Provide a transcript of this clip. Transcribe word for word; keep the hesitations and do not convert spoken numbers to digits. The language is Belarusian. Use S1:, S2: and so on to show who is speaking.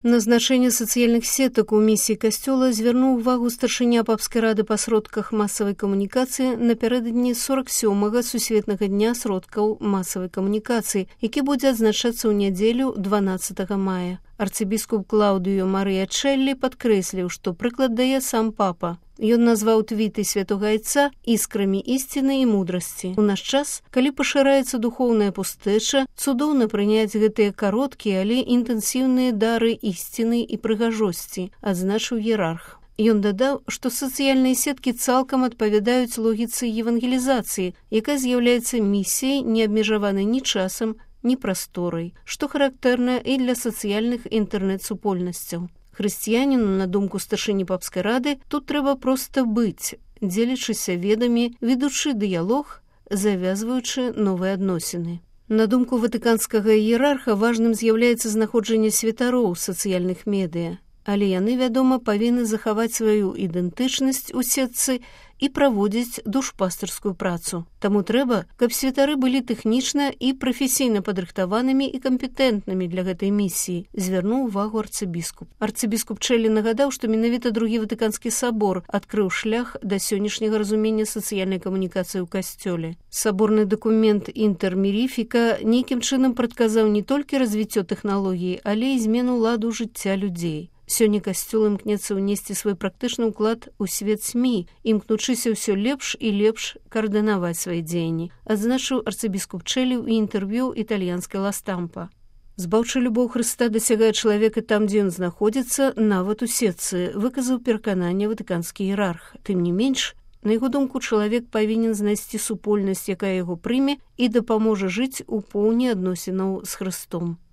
S1: На значэнне сацыяльных сетак у місіі касцёла звярнуў увагу старшыня папскай рады па сродках масавай камунікацыі напярэдадні сорак сёмага сусветнага дня сродкаў масавай камунікацыі, які будзе адзначацца ў нядзелю дванаццатага мая. Арцыбіскуп Клаўдыё Марыя Чэллі падкрэсліў, што прыклад дае сам папа. Ён назваў твіты святога айца іскрамі ісціны і мудрасці. У наш час, калі пашыраецца духоўная пустэча, цудоўна прыняць гэтыя кароткія, але інтэнсіўныя дары ісціны і прыгажосці, адзначыў іерарх. Ён дадаў, што сацыяльныя сеткі цалкам адпавядаюць логіцы евангелізацыі, якая з'яўляецца місіяй, не абмежаванай ні часам, ні прасторай, што характэрна і для сацыяльных інтэрнэт-супольнасцяў. Хрысціяніну, на думку старшыні папскай рады, тут трэба проста быць, дзелячыся ведамі, ведучы дыялог, завязваючы новыя адносіны. На думку ватыканскага іерарха важным з'яўляецца знаходжанне святароў сацыяльных медыа, але яны, вядома, павінны захаваць сваю ідэнтычнасць у сетцы і праводзіць душпастырскую працу. Таму трэба, каб святары былі тэхнічна і прафесійна падрыхтаванымі і кампетэнтнымі для гэтай місіі, звярнуў увагу арцыбіскуп. Арцыбіскуп Чэллі нагадаў, што менавіта другі ватыканскі сабор адкрыў шлях да сённяшняга разумення сацыяльнай камунікацыі ў касцёле. Саборны дакумент «Інтэрміріфіка» нейкім чынам прадказаў не толькі развіццё тэхналогіі, але і змену ладу жыцця людзей. Сёння касцёл імкнецца ўнесці свой практычны ўклад у свет СМІ, імкнучыся ўсё лепш і лепш каардынаваць свае дзеянні, адзначыў арцыбіскуп Чэллі ў інтэрв'ю італьянскай «Ла Стампа». Збаўчы любоў Хрыста дасягае чалавека там, дзе ён знаходзіцца, нават у сетцы, выказаў перакананне ватыканскі іерарх. Тым не менш, на яго думку, чалавек павінен знайсці супольнасць, якая яго прыме і дапаможа жыць у поўні адносінаў з Хрыстом.